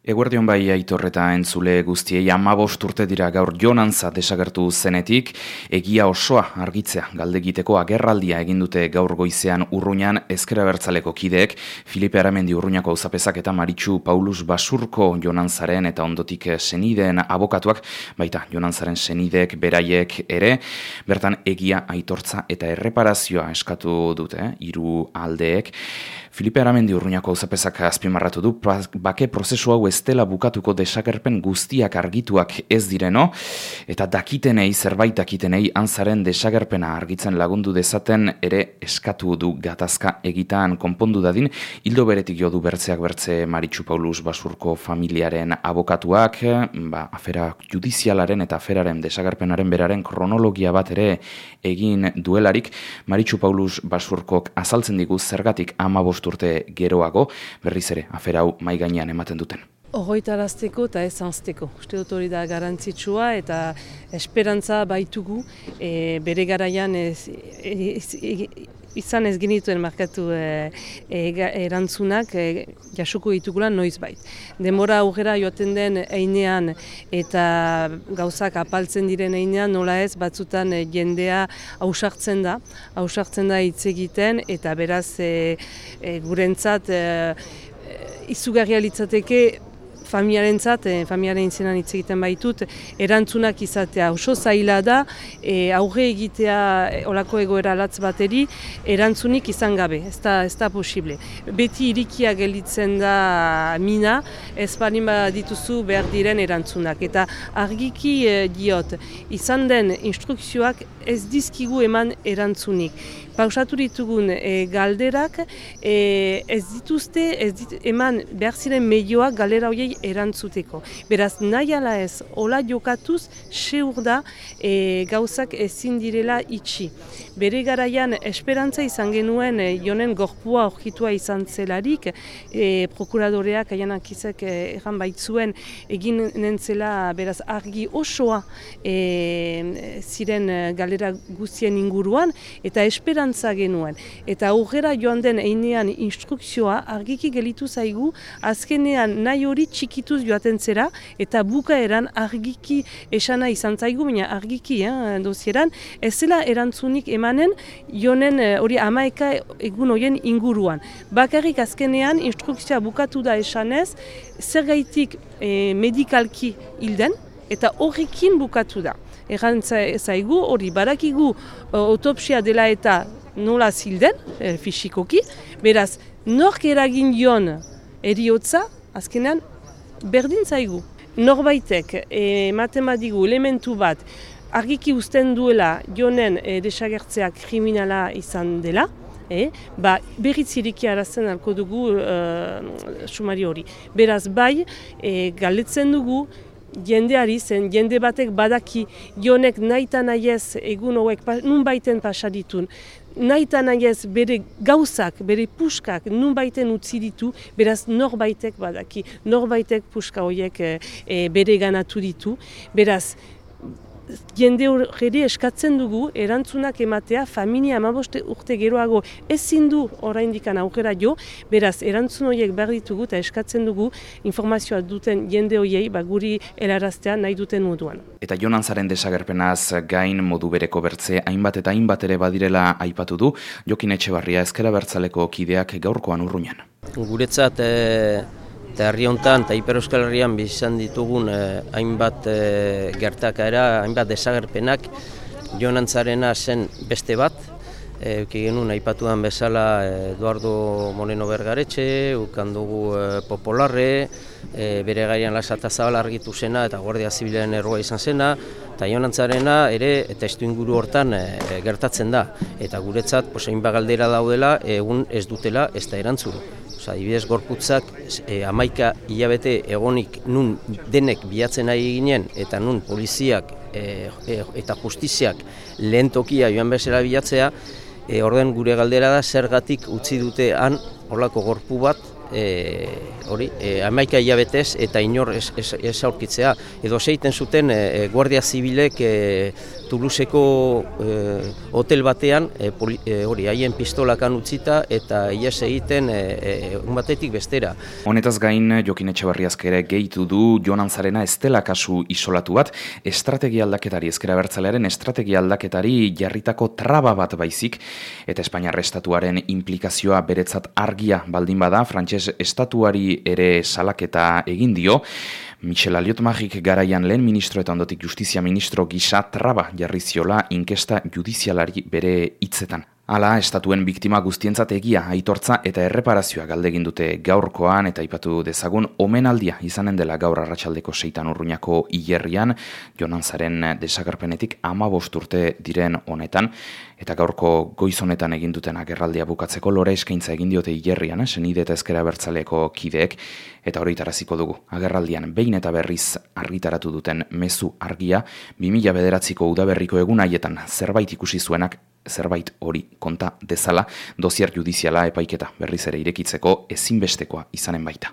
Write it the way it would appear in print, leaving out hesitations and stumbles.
Eguerdion bai Aitor eta entzule guztiei 15 urte dira gaur Jonantza desagertu zenetik, egia osoa argitzea galdegiteko agerraldia egin dute gaur goizean Urruñan Ezker Abertzaleko kideek, Filipe Aramendi Urruñako auzapezak eta Maritxu Paulus Basurko Jonantzaren eta ondotik senideen abokatuak, baita Jonantzaren senideek beraiek ere, bertan egia, aitortza eta erreparazioa eskatu dute, hiru aldeek. Filipe Aramendi Urruñako auzapezak azpimarratu du bake prozesu hau ez dela bukatuko desagerpen guztiak argituak ez direno, eta zerbait dakitenei antzaren desagerpena argitzen lagundu dezaten ere eskatu du gatazka egitan konpondu dadin, hildo beretik jo du bertzeak bertze Maritxu Paulus Basurko familiaren abokatuak, afera judizialaren eta aferaren desagerpenaren beraren kronologia bat ere egin duelarik, Maritxu Paulus Basurkok azaltzen digu zergatik 15 urte geroago, berriz ere afera hau mahai gainean ematen duten. Ogoitarazteko eta ez zanzteko. Uste dut hori da garantzitsua eta esperantza baitugu bere garaian izan ez genituen markatu erantzunak jasuko ditugula noizbait. Denbora aurrera joaten den einean eta gauzak apaltzen diren einean nola ez batzutan jendea hausartzen da hitz egiten eta beraz gurentzat izugarria litzateke familiaren izenan hitz egiten baitut, erantzunak izatea oso zaila da, aurre egitea olako egoera latz bateri, erantzunik izan gabe, ez da posible. Beti irikia gelditzen da mina, ez balin dituzu behar diren erantzunak. Eta argiki diot, izan den instrukzioak ez dizkigu eman erantzunik. Pausatu ditugun galderak ez dituzte eman behar ziren medioak galdera horiei erantzuteko. Beraz, nahi ala ez, hola jokatuz, seur da gauzak ezin direla itxi. Bere garaian esperantza izan genuen jonen gorpua aurkitua izan zelarik, prokuradoreak aianakizek erran baitzuen egin nentzela beraz argi osoa ziren galdera guztien inguruan, eta esperantza genuen. Eta aurrera joan den einean instrukzioa argiki gelitu zaigu, azkenean nahi hori txikituz joaten zera, eta bukaeran argiki esana izan zaigu, baina argiki dosieran, ez zela erantzunik emanen jonen hori 11 egun horien inguruan. Bakarrik azkenean instrukzioa bukatu da esanez, zergaitik medikalki hilden, eta horrekin bukatu da. Erran zaigu, hori barakigu autopsia dela eta nola zilden, fisikoki, beraz, nork eragin dion eriotza, azkenean, berdin zaigu. Norbaitek ematen badigu elementu bat, argiki uzten duela jonen desagertzeak kriminala izan dela, berriz iriki arazten alko dugu sumari hori. Beraz, bai, galdetzen dugu, jendeari zen, jende batek badaki jonek naita nahiez egun hauek nun baiten pasaditun, naita nahiez bere gauzak, bere puskak nun baiten utzi ditu, beraz norbaitek badaki, norbaitek puska horiek bere ganatu ditu, beraz jende hori eskatzen dugu erantzunak ematea familia 15 urte geroago ezin du oraindikan aurrera jo, beraz erantzun horiek behar ditugu eta eskatzen dugu informazioa duten jende horiei guri helaraztea nahi duten moduan. Eta Jonantzaren desagerpenaz gain modu bereko bertze hainbat eta hainbat ere badirela aipatu du, Jokin Etxebarria Ezker Abertzaleko kideak gaurkoan Urruñan. Guretzat eta herri honetan eta Ipar Euskal Herrian bizan ditugun hainbat gertakaera, hainbat desagerpenak, Jonantzarena zen beste bat, euki genuen aipatuan bezala Eduardo Moreno Bergaretxe, ukan dugu Popolarre, bere gaian Lasata Zabal argitu zena eta Guardia Zibilaren erroa izan zena, eta Jonantzarena ere eta testuinguru hortan gertatzen da. Eta guretzat, hainbat galdera daudela, egun ez dutela ez da erantzun. Adibidez, gorputzak 11 hilabete egonik nun denek bilatzen ari ginen eta nun poliziak eta justiziak lehen tokia joan bezala bilatzea, orden gure galdera da zergatik utzi dute han horlako gorpu bat hori, 11 hilabetez eta inor ez aurkitzea. Edo zeiten zuten Guardia Zibilek Toulouseko hotel batean hori haien pistolakan utzita eta ihes egiten un batetik bestera. Honetaz gain, Jokin Etxebarriazk ere gehitu du Jon Antzarena ez dela kasu isolatu bat, estrategia aldaketari, ezker abertzalearen estrategia aldaketari jarritako traba bat baizik, eta Espainiar estatuaren implikazioa beretzat argia baldin bada, frantses estatuari ere salaketa egin dio. Michel Aliot-Magik garaian lehen ministro eta ondotik justizia ministro gisa traba jarri ziola inkesta judizialari bere hitzetan. Hala, estatuen biktima guztientzat egia, aitortza eta erreparazioa galdegin dute gaurkoan eta aipatu dezagun omenaldia izanen dela gaur arratsaldeko 6 Urruñako hilerrian, Jon Antzaren desagerpenetik 15 urte diren honetan, eta gaurko goiz honetan egin duten agerraldia bukatzeko lore eskaintza egin diote hilerrian, senide eta ezker abertzaleko kideek, eta horitaraziko dugu. Agerraldian behin eta berriz argitaratu duten mezu argia, 2009ko udaberriko egun haietan zerbait ikusi zuenak zerbait hori konta dezala, dozier judiziala epaiketa berriz ere irekitzeko ezinbestekoa izanen baita.